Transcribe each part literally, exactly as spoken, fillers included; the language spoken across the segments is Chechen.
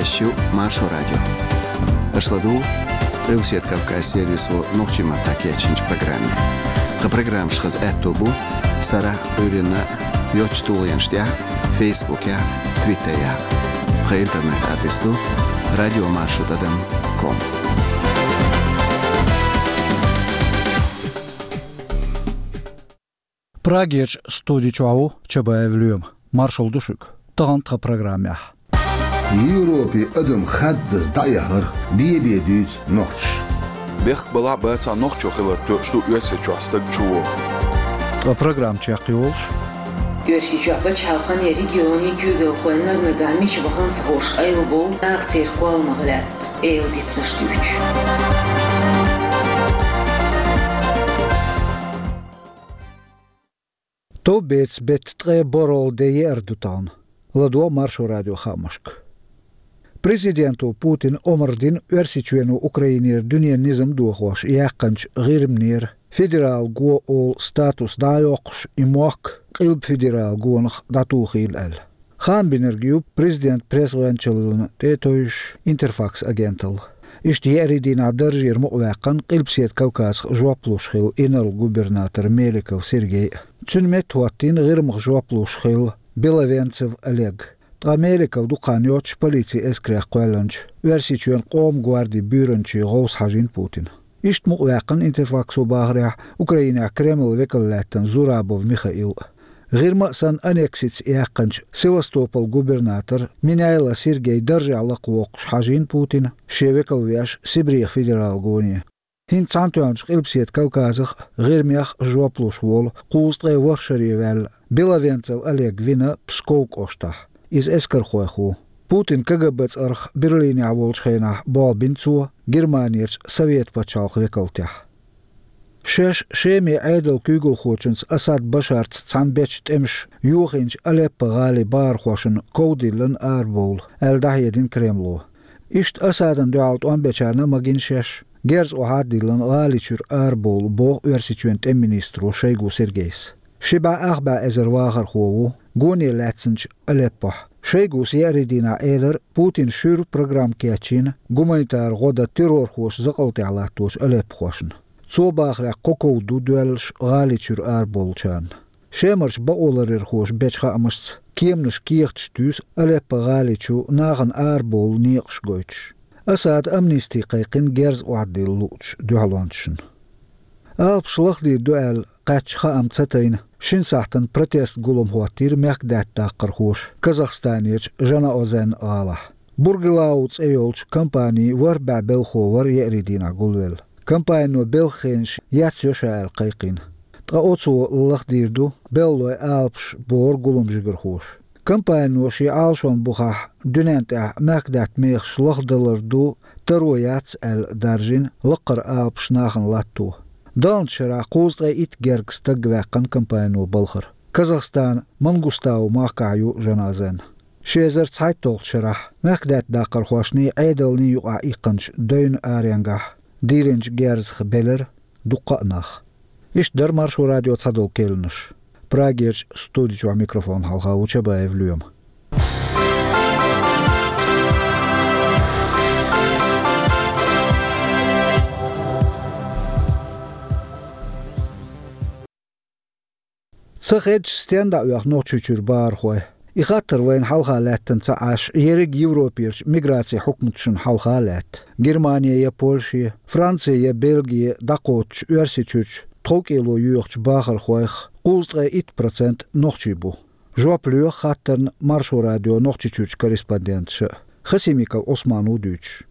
Эфирехь ю Маршо радио. Аша ладугӀу Къилбаседа Кавказ сервисо нохчийн маттахь кечйинчу программе. Тхан программаш хаза аьтто бу сарахь а, Ӏуьйранна а йоцачу тулгӀенаш тӀехь а, Фейсбукехь а, Твиттерехь а. Тхан интернет-адрес ду радио маршо тӀадам ком. Прагерчу студи чохь ву Чабаев Лоьма. Маршалла ду шуьга. Тахана тхан программехь. Европе адам хаддаза дӀаэхарх бен-бен дуьйцу нохчаша. Бехк балахь а, бацахь а, нохчо хилар тоьуш ду Оьрсийчохь стаг чу вогӀу. Тхан программа чекхйолуш. Оьрсийчохь пачхьалкхан я регионийн куьйгалхой нар нагахь мича вахана ца хууш къайлабовлу нах церан кхолламах лаьцна, эладитанаш дуьйцуш. Товбецан беттан ткъе борхӀалгӀа де еара ду тахана. ЛадогӀа Маршо радион хаамашка. Президенто Путина омра дина Оьрсийчоьно Украинера дуьненан низам дохош яьккхинчу ГӀирманера федерал го олу статус дӀа а йоккхуш, и мохк Къилба федерал гонах дӀатухийла аьлла. Хаам бинарг ю президентан пресс-гӀоьнчаллина тӀе а тевжаш Интерфакс агенталла. Иштта еарин дийнахь даржера мукъаваьккхина Къилбаседа Кавказах жоп луш хилла инарла губернатор Меликов Сергей а. Цуьнан метта хӀоттийна ГӀирмах жоп луш хилла Беловенцев Олег. Ткъа Меликов дукха хан йоццуш полицин эскарех кхоьллинчу Оьрсийчоьнан Къоман гвардин буьйранчин гӀовс хьажийна Путина. Иштта мукъаваьккхина Интерфаксо бахарехь Украинехь Кремлан векал лаьттина Зурабов Михаил а. ГӀирма а санна аннексица яьккхинчу Севастополан губернатор Меняйло Сергей даржехь лакхавоккхуш хьажийна Путина шен векал веш Сибрех федерал гоне. ХӀинца цхьаьнатоьхначу Къилбаседа Кавказах а, ГӀирмех а жоп луш волу кхузткъе ворхӀ шаре ваьлла Беловенцев Олег вина Псков кӀоштахь. Иза эскархойх ву. Путинан КГБ цӀарах Берлинехь волчу хенахь болх бина цо Германерчу Совет пачхьалкхан векалтехь. Шаьш Шеман Ӏедалан куьйгалхочуьнца Асад Башарца цхьаьна бечу тӀемаша йохийначу Алеппо-гӀалин бахархошна ков диллина арабовла, аьлла дӀахьедина Кремло. Иштта Асадна дуьхьал тӀом бечарна а магийна шаьш, герз охьа а диллина гӀали чуьра арабовла, боху Оьрсийчоьнан тӀеман министро Шойгу Сергейс. Ши бӀе ах бӀе эзар вахархо ву гоне лаьцначу Алеппохь. Шойгус еарин дийнахь элира, Путина шуьйра программа кечйина гуманитар гӀо дан террорхоша закъалтехь латточу алеппохошна. Цо бахарехь, кхо ков ду доьллуш гӀали чуьра арабовлучарна. Шемарчу бакъоларъярхоша бечу хаамашца, кеманаш кехаташ туьйсу Алеппо-гӀали чу нахана арабовла некъаш гойтуш. Асада амнисти кхайкхина герз охьадилла луучу дуьхьалончашна. Алапаш лахдийр ду аьлла кхаьчча хаам ца тайна, шина сахьтана протест гулам хӀоттийра мехкадаьтта даккхархоша Казахстанерчу Жанаозен гӀалахь. Бургилау цӀе йолчу компанин ворхӀ бӀе белхо вара еарин дийнахь гулвелла. Компанино белхан хенаш ецйо ша аьлла кхайкхийна. Ткъа оцо лахдийр ду беллалойн алапаш, боху гулам жигархоша. Компанино шен Ӏалашонан бухахь дуьнен тӀехь мехкадаьтта мехаш лахдалар ду таро яц аьлла даржийна лакхара алапаш нахана латто. Далначу шарахь кхузткъе итт гергга стаг ваьккхина компанино балхара. Казахстанан Мангустау махкахь ю Жанаозен. Ши эзар цхьайтталгӀачу шарахь мехкадаьтта даккхархошний Ӏедалний юкъахь иккхинчу девнан аренгахь дийринчу герзах белира дуккха а нах. Иштта дара Маршо радион цхьадолу керланаш. Прагерчу студи чохь микрофон хьалха ву Чабаев Лоьма. Ца хедаш стенна дӀаоьху Нохчийчуьра бахархой? И хаттар вайна хьалха лаьттина ца Ӏаш, ерриг Европерчу миграцин хьукматашна хьалха а лаьтта. Германе я Польше, Франце я Бельге дӀакхочучу Оьрсийчуьрчу тховкӀело йоьхучу бахархойх кхузткъе итт процент нохчий бу. Жоп лоьху хаттарна Маршо радион Нохчийчуьрчу корреспонденташа а. Хасимиков Ӏусман ву дуьйцуш.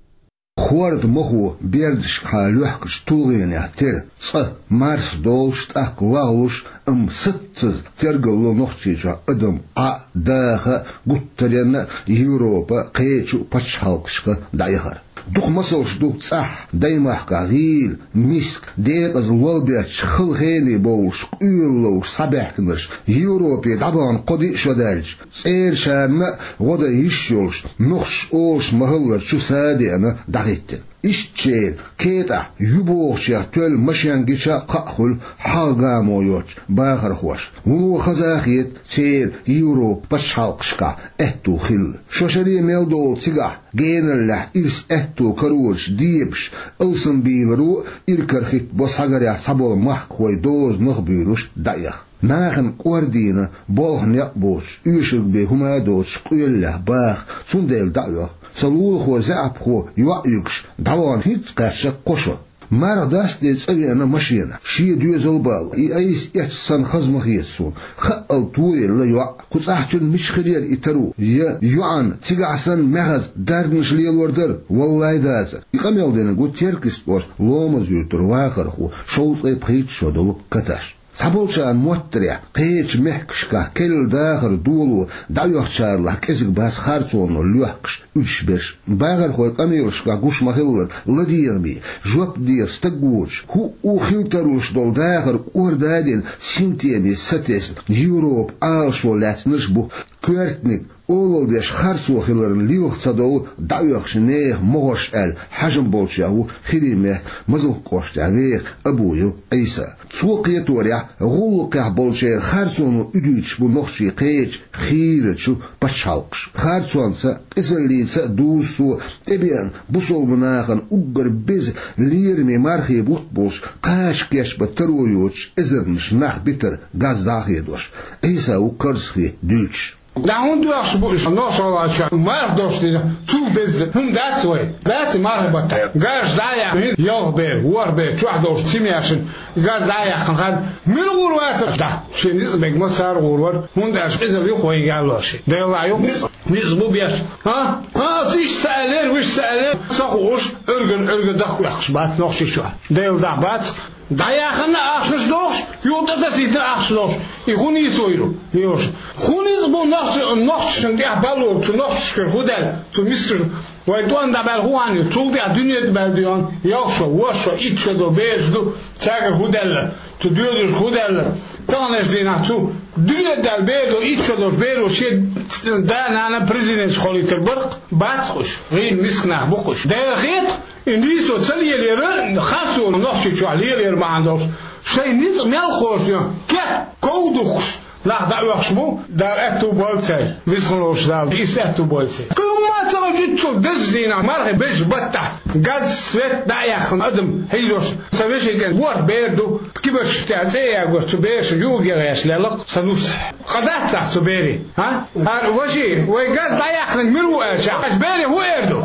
Хортамахо бердашкахьа лоьхкучу тулгӀенех тера цкъа марсдолуш, тӀаккха лагӀлуш, амма саццаза тергалло Нохчийчохь адам Ӏа а, даха а, гуттаренна а Европан кхечу а пачхьалкхашка дӀаяхар. Дукха масалш ду цӀахь, даймахкахь гӀийла, миска, декъаза лол бетташ хала хене бовлуш, къоьлла ловш схьабаьхкинарш Европе дӀабахана кхо-диъ шо даьлча, цӀерачарна а гӀо дан йиш йолуш, нохчаша олуш ма-хиллара чу са а деана дӀахӀиттина. Иштта шера кетӀахь ю бохучех тоьлла машен гича а кхаъ хуьлу хьагӀ гамо йоцучу бахархошна. Вуно хаза а хета церан Европан пачхьалкхашкахь аьтту хилла. Шо шаре мел долу цигахь генараллехь ирс аьтту карораш дебаш, алсамбийларо а, иракарахӀитта бо схьагарехь цхьаболу махкахой дозанах а буьйлуш дӀаэха. Нахана кӀордийна, болх некъ боцуш, оьшург бен хӀума а доцуш къоьллехь баха, цундела дӀа а оьху. Сан лулахо, заьӀапхо йоӀ юьгуш дӀавахана хӀинцца кхаьчна кхо шо. Марха дастаде цӀа веана машенахь, шен доьзал а балош, и айса эцча санна хаза ма хета суна. Хаъал тоелла йоӀ, кху цӀахь цуьнан мича хир яра и таро? Я йоӀана цигахь санна маьхаза дарнаш лелор дара, валлай, дацара. И къамел динарг ву Теркйист-Ош Ломаз-Юьртара вахархо, шовзткъе пхийтта шо долу Каташ. Цхьаболчарна моттарехь, кхечу мехкашкахь керла дахар доло дӀаоьхучарах кӀезиг бац харцонал лоьхкуш уьдуш берш. Бахархойн къамелашкахь гуш ма-хиллара, ладегӀаме, жоп дехьа стаг воцуш, хӀуъу хила тарлуш долу дахар кӀордадина, синтеме сатесна, Европа Ӏалашо лаьцнарш бу. Коьртаниг, олалла деш харцо хиларна лилха ца довла дӀаоьхучу нехан могӀарш аьлла хьажам болчех ву ХӀирийн мехкан Мазалк кӀоштехь веха Абуев Ӏийса. Цо кхеторехь, гӀуллакхехь болчеран харцоно уьдуьйтуш бу нохчий кхечу хийрачу пачхьалкхаша. Харцонца а, къизаллица а дузу цо тӀебеана бусалба нахана уггар беза лераме мархи бутт болуш, кхача кечбан таро йоцуш эзарнаш нах битар газ дӀа а хедош. Ӏийса ву карзахе дуьйцуш. Да хӀунда доьхуш бу уьш нохчаллачу марха долуш дина? Цул деза хӀума дац вай? Дац и марха баттахь? Газ дӀа а яьккхина, ялх бер, ворхӀ бер чохь долуш цимешна газ дӀа а яьккхина хан, мила гӀур вацара? Да, шен ницкъ бегма сара гӀур вара, хӀунда аьлча къизалла ю-кх вайга аьлла ши. Делла ю, ницкъ бу беш. А? А, ас иштта ца аьллера, вуьш ца аьллера, ца хууш, Ӏуьрган, Ӏуьрган даха оьхкуш бац нохчий чохь. Делла дӀа бац. ДӀаяхана ахчанаш дохуш, юха тӀе тасийтина ахчанаш дохуш. И хӀун нийса ву? Йоша. ХӀун ницкъ бу нохча-, нохчашна тӀехь баллур, цу нохчашкара хӀун даьлла, цу мискачу? Вай тӀом дӀабаьлла хӀун хьан ю? Цул тӀехь дуьне тӀе баьлла дуьйна, ялх шо, ворхӀ шо, итт шо долу бераш ду, цаьргара хӀун даьлла, цу доьзалшка хӀун даьлла? Таханлерчу дийнахь цу дуьне тӀе даьлла бер ду, итт шо долуш беро шен да-нана президенташ хилийтар бара-кх, бац-кх уьш, гӀийла миска нах бу-кх уьш. Дера хета, и нийсо ца лелера, харцо нохчий чохь лелера бахьана долуш, шайн ницкъ мел кхочушден, кет, ков духкуш, нах дӀаоьхуш бу, Дала аьтту бойла церан, веза хилла волчу Дала, иза аьтту бойла церан. Кхин хӀумма а ца хилча, цу дезачу дийнахь, мархи безачу баттахь, газ, свет дӀа а яьккхина адам хьийзош, сан вешин кӀентан ворхӀ бер ду, кибарчаш тӀехь цӀе а ягош, цу берашна юург а гӀерташ лелла-кх сан нус. Къа дац ахь цу берийн, а? Ара, ваши, вай газ дӀаяьккхинарг мила ву аьлча, аш бере хӀун эр ду?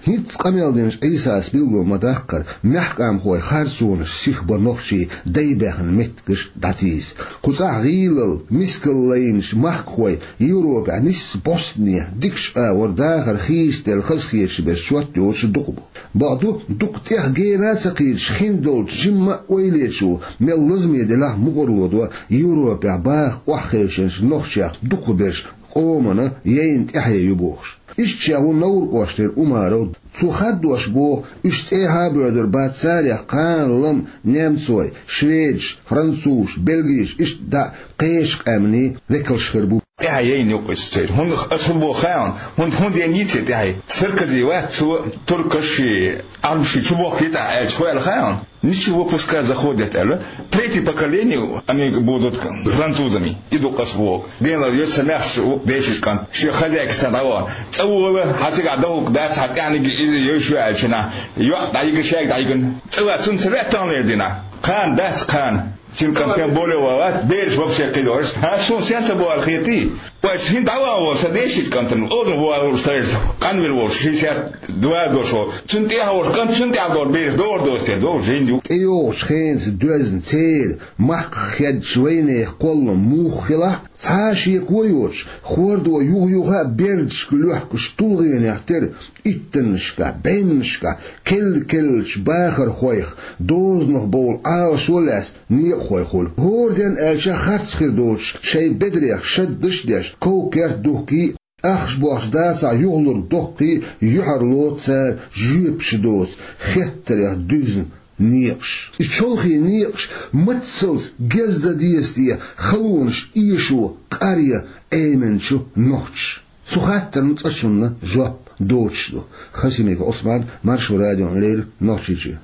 ХӀинцца къамел динчу Ӏийсас билгал ма-даккхара, маьхкамхой харцонаш сиха бан нохчий дайбаьхна меттигаш дӀатийса. Кху цӀахь гӀийлалла, мискалла лайначу махкахой Европехь нисса бӀостанехьа дикачу агӀор дахар хийцаделла хазахеташ берш чот йоцуш дукха бу. Бакъду, дукха тӀех гена а ца кхийдаш хиндолчу жимма а ойлечо мел лазаме делахь а мукъарло до Европехь баха охьахевшинчу нохчех дукхахберш къомана яйна тӀаьхье ю бохуш. Иштта ша ву Невран кӀоштара Умаров. Цо хаддош боху, уьш цӀехьа а боьдур бац, царех кхана-лама немцой, шведаш, французаш, бельгийш, иштта дӀа кхечу къаьмнийн векалш хир бу. ТӀаьхье яйна ю-кх иза церан. ХӀунда аса хӀун боху хаьий хьуна? ХӀунда, хӀунда яйна йицъе тӀаьхье? Саркози вац цо, туркаш а, Ӏарбаш а чубохкийта ахь аьлча, хӀун аьлла хаьий хьуна? Ничего пускай заходят аьлла. Третье поколение они будут французами. И ду-кх аса боху. Дела йо сан маьхча ву-кх дешича кӀант. Шен хозяйка санна дӀавахана. ЦӀа вола, хьан цигахь дан хӀума дац, хьан тӀаьхьниг иза йойш ю аьлча нах, йоӀ дӀайигна, шаьрга дӀайигна. ЦӀа вац, цунна ца ваьа таханлера дийнахь. Кхана дац, кхана. Цуьнан кӀант тем более ван вац, бераш вообще кхидолуш. ХӀан, суна сен ца бохура хетий? Вайша хӀинца дӀаван волу сан дешича кӀантана, оза валур сайша, къанвер волуш, шестьдесят два дош волу. Цунна тӀехьа волуш кӀант, цунна тӀехьа долу бераш догӀур доцу те, догӀур жин ю. ТӀейогӀучу хенаца доьзна церан махках хеддачу вайнехан кхоллам муха хилахь а, цхьа а шеко йоцуш, хӀордо юха-юха а бердашка лоьхкуш тулгӀенех тера, иттаннашкахь, бӀеннашкахь, керла-керлачу бахархойх, дозанах бовла Ӏалашо лаьцна некъахой хуьлу. ХӀора денна аьлча харц хир доцуш, шайн бедарех шаддаш а деш, ков-керт духкий, ахча бохчу дацахь юхалург доккхий, юьхьарло цара жоьпаш доцу хеттарех дуьзна некъаш. И чолхе некъаш мацалц гездан деза те халонаш эшо къаръян Ӏеминчу нохчаша. Цу хаттарна цкъачунна жоп доцуш ду. Хасимиков Ӏусман, Маршо радиона леррина, Нохчийчоь.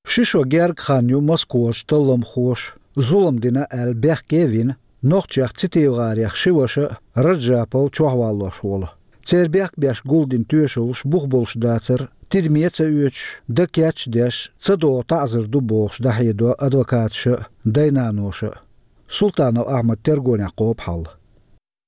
Ши шо гергга хан ю Москварчу талламхоша зулам дина аьлла бехке а вина, нохчех ЦитиевгӀарех ши ваша а, Раджапов чохь валлош волу. Церан бехк беш гулдина тоьшаллаш бух болуш дацара, тидаме а ца оьцуш, дан кеч а деш, ца догӀу таӀзар ду бохуш дӀахьедо адвокаташа а, дай-наноша а. Султанов Ахьмад тергонехь кхобу хьал.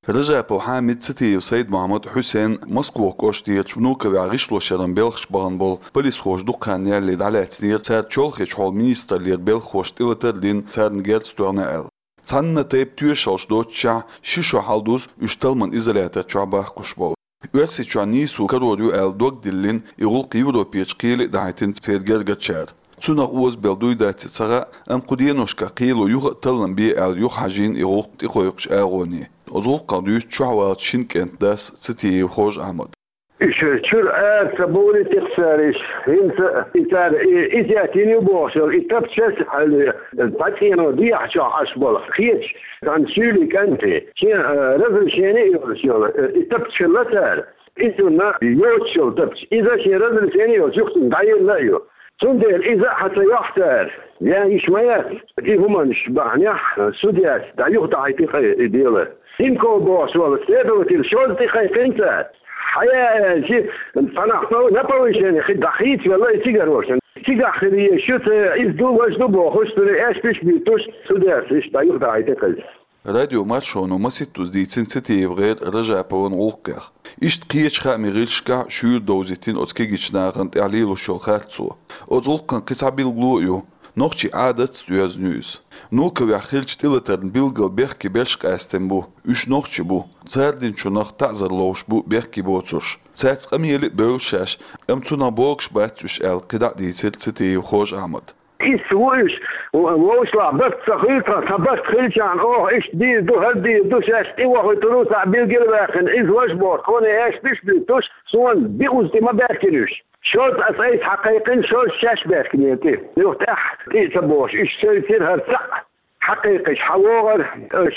Раджапов Хьамид, Цитиев Сайд-Мухьаммад, Хьусен Москвахь кӀоштарчу Внуковехь гӀишлошъяран белхаш бахана болу полисхоша дукха хан ялале дӀалаьцнера, цара чолхечу хьолан министраллера белхахошна тӀелатар а дина, царна герз тоьхна аьлла. Цхьана тайпа тоьшаллаш доццушехь, ши шо хьалдузу уьш талламан изолятор чохь бахкуш болу. Оьрсийчохь нийсо карор ю аьлла дог диллина, и гӀуллакх Европерчу кхеле а дахьийтина церан гергарчара. Цунах озабелла дуй дац ца хаьа, амма кху деношкахь кхело юха а таллам бе аьлла юхахьажийна и гӀуллакх тӀекхойкхучу агӀоне. Оцу гӀуллакхах дуьйцу чохь валлачу шина кӀентан дас Цитиев Хож-Ахьмада. Уьш чуьра ара ца бовлий тӀаккха цара, уьш хӀинца и цара и, иза яьттина ю бохуш йолу и тапча, хьале, дӀацӀено дехьа чохь Ӏаш болу кхечу цхьана суьйлийн кӀанте, шен, а, разрешение а йолуш йолу, а, и тапча хилла цара. Иза цунна йоцуш йолу тапча. Иза шен разрешение йолуш юхатӀе дӀаелла а ю. Цундела иза а хьан ца йохьу цара, я йиш ма яц, и хӀуманаш бахьанехь судьяс дӀа юха дӀахьийти кхин и дело. Синков бохуш волу следователь шозза тӀекхайкхина цара. Хьаяа аьлча, цхьанахь на повышение хи дӀахийца велла и цигара вовшан. Цигахь хир езаш ю, ца иза ду, важа ду бохуш, цуьнан аьшпаш а буьйцуш, судьяс иштта дӀа юха дӀахьийти кхин. Радио Маршоно масийттаза дийцина ЦитиевгӀеран, Раджаповн гӀуллакхех. Иштта кхечу хаамийн гӀирсашкахь шуьйра довзийтина оцу кегийчу нахана тӀехь лелош йолу харцо. Оцу гӀуллакхан кхин цхьа билгало а ю. Нохчийн Ӏадатца доьзна ю иза. Внуковехь хиллачу тӀелатарна билггал бехке берш къаьстина бу. Уьш нохчий бу. Цара динчунах таӀзар ловш бу бехке боцурш. Цаьрца къамеле а бевлла шаьш, амма цунах богуш бац уьш аьлла, кхидӀа а дийцира Цитиев Хож-Ахьмада. Иза ву уьш, вовшашлахь барт ца хуьлу тхан, тхан барт хилчахьана, оха иштта дийр ду, хӀара дийр ду, шаьш тӀе вохуьйтур ву, цхьаъ билгал а ваьккхина, иза важа боху, тхуна аьшпаш а буьйцуш, суна биъ уза тӀе ма баьхкина уьш. Шозза аса айса хьакхайкхина, шозза шаьш баьхкинера тӀе. Юха тӀаьхьа тӀе а ца бохуш, уьш севцира хӀара цхьаъ. Хьакхайкхийша, хьан вогӀура,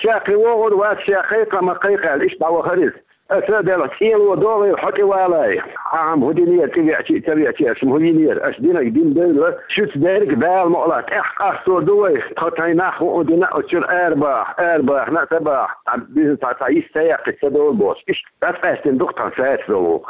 ша кхин вогӀура вац, ша кхайкха, ма кхайкха аьлла, иштта дӀавахара иза. Аса а делахь, цӀенло догӀийла хьо тӀе валай. Ахьа-м хӀун динера, тӀе веача а, ца веача а, аша-м хӀун йинера, аша динарг дина девлла, шуьца дерг Дала мукъалахь тӀехь къастор ду вай, тхо тайнах хӀуъу дина, оцу чуьра арабаха, арабахана а ца баха, цхьа бизнес цхьа, цхьа йист ца яккхича ца довла бохуш. Иштта дӀакъаьстина ду-кх тхан саьрца долу.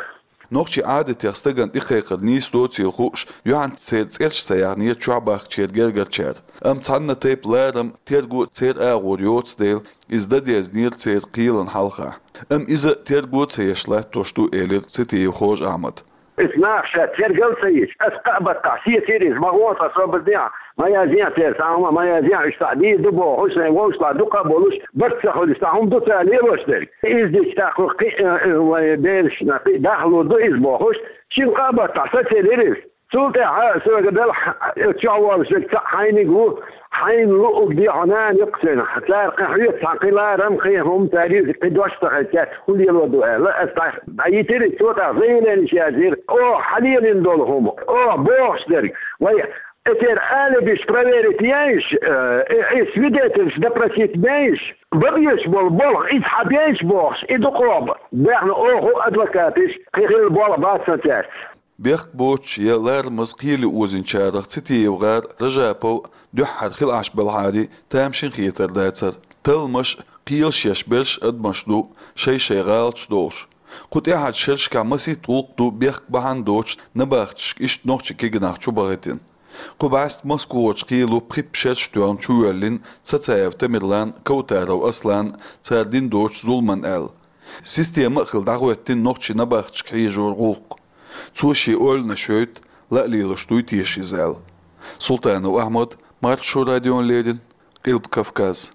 Нохчийн Ӏадатех стагана тӀекхайкхар нийса доцийла хууш, юьхьанца церан цӀераш ца яьхнера чохь бахкачеран гергарчара. Амма цхьанна тайпа ларам, терго церан агӀор йоцу дела, иза дан дезнера церан кхелан хьалха. Амма иза терго а ца еш латтош ду, элира Цитиев Хож-Ахьмада. Иза наха ша тергал а ца йича, аса кхаа баттахь сецира иза, ма гӀо тхан собар дехьа. Ма язъян церан цхьа хӀума, ма язъян, уьш цхьаъ дийр ду бохуш, сайн вовшашлахь дукха а болуш, барт ца хуьлуш, цхьа хӀума ду цара лелош дерг. Иза дича тӀаккха кхин а, э, вайн берашна кхин а дахлур ду иза бохуш, шина-кхаа баттахь сацелира иза. Цул тӀаьхьа соьга делахь, э, чохь волуш верг цхьаъ хьайниг ву, хьайна луъург де хьо нана юккъе сайна. Цара кхин хьоьца цхьа кхин ларам, кхин хӀума цара юьззиг, кхин дош ца хезча, хӀун лело ду аьлла, аса дӀа-, дӀайитира, цо тӀаккха заявление язйира. Оха хьан лелийна долу хӀума, оха бохуш дерг, вай Эцеран алибиш проверить яйш, э, э, э, свидетельш допросить бейш, бан безаш болу болх, иза хьан бейш бохуш, и дукхох баьхна оха адвокаташ, кхин хилла болх бац сан цаьрца. Бехк боцуш я ларамаза кхеле озийначарах Цитиев-гӀар, Ражапов дуьххьара хила Ӏаш белахьара, тамашийна хетар дацара. Талламаш, кхелаш еш берш адамаш ду, шай-шай гӀалаташ долуш. Кху тӀаьхьарчу шерашкахь масийтта гӀуллакх ду бехк бахьана доцуш набахташка иштта нохчийн кегийнах чу бахийтина. Кху бӀаьста Москварчу кхело пхи-пхи шераш тоьхна чувоьллина Цацаев Тамерлан, Кавтаров Аслан, цара дина доцу зуламан аьлла. Система а хилла дӀахӀоьттина нохчийн набахташка хьежоран гӀуллакх. Цо шен ойланаш йойту, ла а лелаш дуй теша иза аьлла. Султанов Ахьмад, Маршо радиона леррина, Къилба Кавказ.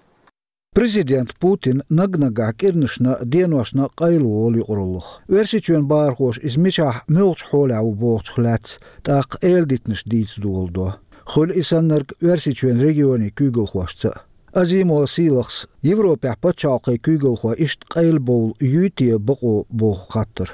Президент Путин наг-нагахь кӀирнашна а, деношна а къайлаволу юкъараллах. Оьрсийчоьнан бахархоша иза мичахь, муьлхачу хьолехь ву бохучух лаьцна тӀаккха эладитанаш дийца доладо. Хуьлу и саннарг Оьрсийчоьнан регионийн куьйгалхошца а. Азимова Сийлахьас Европехь пачхьалкхийн куьйгалхой иштта къайлабовла юй те бакъо боху хаттар.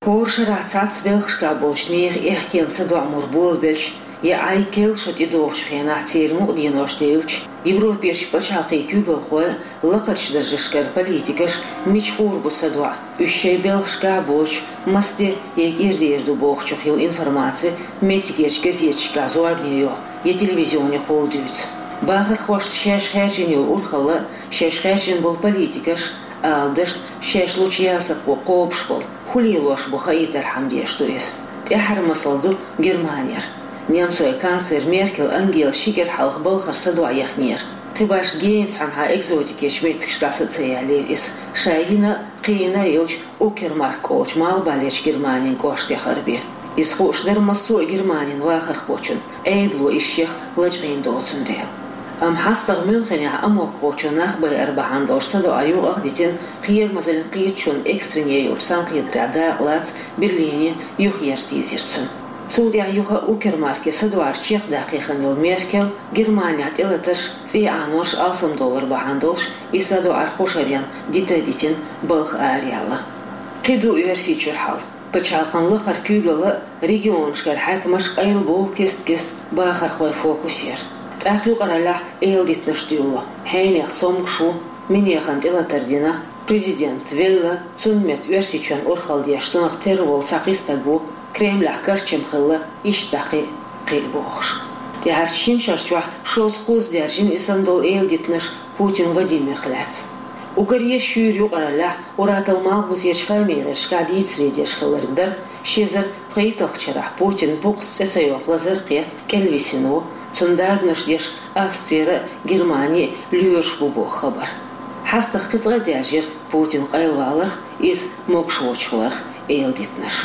ХӀора шарахь цхьацца белхашкахь болчу нехан эхкенца доӀа мур болабелча, я Ӏай керла шо тӀедогӀучу хенахь церан мукъаденош девлча, Европерчу пачхьалкхийн куьйгалхой лакхарчу даржашкара политикаш мича гӀур бу садоӀу, уьш шайн белхашкахь боцуш, маса де я кӀира дер ду бохучух йолу информаци меттигерчу газеташкахь зорбане йоху я телевизионехула дуьйцу. Бахархошна шаьш хаьржина йолу урхалла а, шаьш хаьржина болу политикаш а, ала дашна, шаьш лучу ясакхо кхобуш болу, хӀун лелош бу хаийтархьама деш ду иза. ТӀаьххьара масал ду Германера. Немцойн канцлер Меркель Ангела ши кӀира хьалха балхара садоӀу яхнера. Кхин башха гена цхьанхьа экзотикерчу меттигашкахь дӀаса а ца ялийра иза. Ша йина а, кхин йина а йолчу Укермарк олучу малхбалерчу Германин кӀоштан тӀехь хӀара бен. Иза хууш дара массо а Германин вахархочунна, Ӏедало иза шех лачкъийна доцун дела. Амма хьастагӀа Мюнхенехь амокхочо нах байар бахьана долуш садоӀар юкъах а дитина, кхерамазаллин кхеташонан экстренне йолчу цхьаьнакхетарехь дакъалаца Берлине юхаерза дийзира цунна. Цул тӀаьхьа юха а Укермарке садоӀар чекхдаккха хиъна йолу Меркель Германехь тӀелатарш, цӀий Ӏанорш алсамдовлар бахьана долуш, и садоӀар кху шарна дита а дитина, балха араяьлла. Кхин ду Оьрсийчуьра хьал. Пачхьалкхан лакхара куьйгалла а, регионашкара хьаькамаш а къайлабовлу кест-кеста бахархойн фокусера. ТӀаккха юкъараллехь эладитанаш дуьллу. Хьенех цомгуш ву, минехана тӀелатар дина, президент велла, цунна метта Оьрсийчоьнна урхалла деш цунах тера волу цхьа кхин стаг ву, Кремлехь карчам хилла, иштта дӀа кхин а, кхин а бохуш. ТӀаьхьарчу шина шарчохь шозза-кхузза даьржина и санна долу эладитанаш Путин Владимирх лаьцна. Уггаре шуьйра юкъараллехь ур-атталла малхбузерчу хаамийн гӀирсашкахь дийцаре деш хилларг дара ши эзар пхийтталгӀачу шарахь Путинан букъаца цӀе ца йоккху лазар а кхетта кӀелвисина ву, цунна дарбанаш деш Австрера а, Германе а лоьраш бу боху хабар. ХьастагӀа кхин цкъа а даьржира Путин къайлаваларх, иза могуш воцуш хиларх эладитанаш.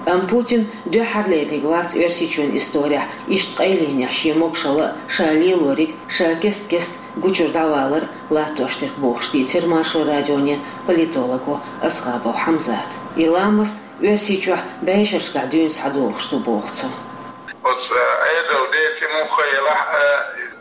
Амма Путин дуьххьарлерниг вац Оьрсийчоьнан исторехь иштта къайленехь шен могушалла а, ша лелориг а, ша кест-кеста гучуьра дӀавалар а латтош дерг бохуш дийцира Маршо радионе политолого Асхабов Хьамзата. И ламаст Оьрсийчохь бӀешерашкахь дуьйна схьадогӀуш ду боху цо. Оцу, э, Ӏедалан ден цӀе муха елахь а,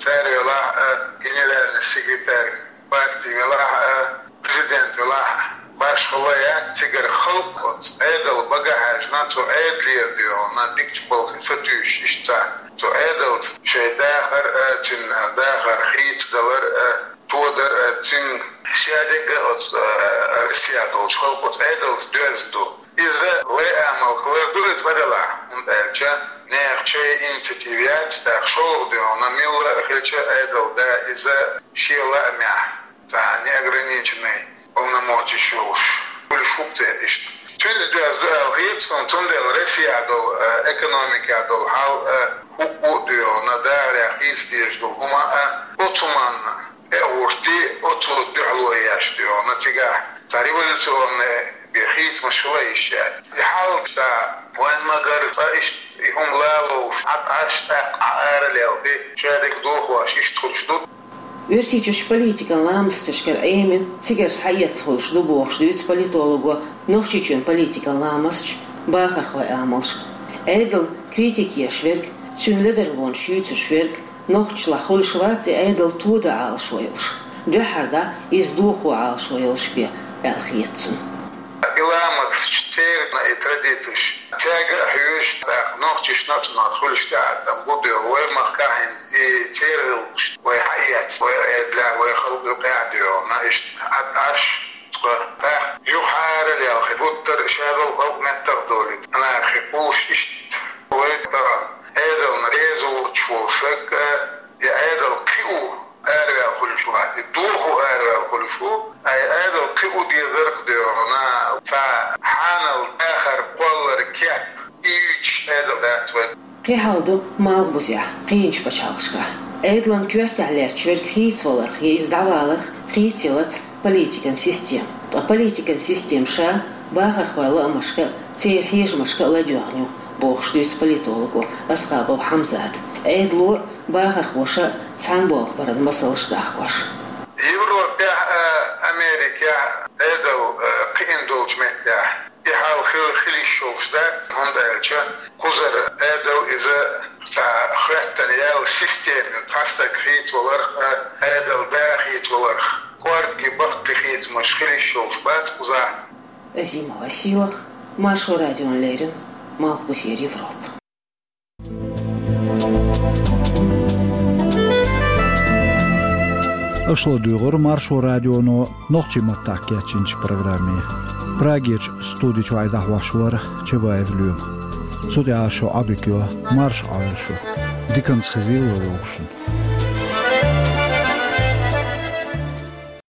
цара велахь а, генеральный секретарь парти велахь а, президент велахь а, башхалла яц цигара халкъ оцу Ӏедал бага хьаьжна, цу Ӏедалера дуьйна дикачу балхе сатуьйсуш иштта цхьа. Цу Ӏедалца шайн дахар а, цуьнан дахар хийцадалар а, тодар а, цуьнан шадерг а оцу, э, Россехь долчу халкъо оцу Ӏедалца доьзна ду. Иза лай амал хилар ду иза цкъа делахь, хӀунда аьлча нехан шайн инициатива яц, тӀаккха шолгӀа дуьйна милла а хилча Ӏедалан да иза шен лаамехь, цхьа неограниченный полномочеш йолуш, хуьлуш хӀума ца иштта. Цуьнца доьзна ду аьлла хета суна, цундела Россехь долу, э, экономикехь долу хьал а, хӀуъу а дуьйна дахарехь хийца дезаш долу хӀума а, оцу хӀуманна тӀе а хӀуттий, оцу дуьхьало еш дуьйна цигахь цхьа революционный бен хийцамаш хила йиш яц. И хьал ца вайн магар цкъа иштта и хӀума лалуш, Ӏад Ӏаш, тӀаккха Ӏа ара лелхи, шадерг дохош иштта хуьлуш ду. Оьрсийчуьрчу политикан ламасташкара Ӏемина цигара схьаэцна хуьлуш ду бохуш дуьйцу политолого Нохчийчоьнан политикан ламасташ, бахархойн амалш. Ӏедална критика еш верг, цуьнан ледарлонаш юьйцуш верг, нохчашлахь хуьлуш вац и Ӏедал тодан Ӏалашо йолуш, дуьххьара дӀа иза дохо Ӏалашо йолуш бен, аьлла хета цунна. И ламасташ, церан и традицеш, цаьрга а хьоьжуш, тӀаккха нохчашна а цунах хуьлуш тӀеӀаткъам бу дуьйна, вай махкахь хӀинца и церан гӀиллакхаш вай хьаэцна, вай Ӏедалехь, вай халкъ юкъахь а дуьйна, иштта Ӏад Ӏаш, цкъа тӀаккха юха ара лелхи, гуттар а шадолу халкъ меттах долуьйту, анархи кхуллуш иштта. Вай тахана Ӏедална реза воцуш волу саг а, и Ӏедал кхио араваьлла хуьлуш вац, и дохо араваьлла хуьлуш ву, ткъа и Ӏедал кхио дезарх дуьйна, цхьа хьанал дахар кхоллар кеп, и юьйцуш Ӏедал дац вай. Кхин хьал ду малхбузехь, кхечу пачхьалкхашкахь. Ӏедалан коьртехь лаьтташ верг хийцаваларх я иза дӀаваларх хийцаялац политикан система. Ткъа политикан система ша бахархойн лаамашка а, церан хьежамашка а ладоьгӀна ю, бохуш дуьйцу политолого Асхабов Хьамзата. Ӏедало а, бахархоша а цхьаьна болх баран масалш дахкош. Европехь а, Америкехь а Ӏедал, э, кхиъна долчу меттехь и хьал хила, хила йиш йолуш дац, хӀунда аьлча кхузара Ӏедал иза цхьа хӀоьттина яьлла система ю, цхьа стаг хийцаваларх а, Ӏедалан да хийцаваларх, кӀорггий, баккхий хийцамаш хила йиш йолуш бац кхузахь. Азимова Сийлаха, Маршо радиона леррина, Малхбузера Европа. Аша ладугӀура Маршо радионо нохчийн маттахь кечйинчу программе. Прагерчу студи чохь дӀахьош вара Чабаев Лоьма. Цу тӀехь шун Ӏадика йо, марша Ӏойла шу. Диканца хезийла вовшашна.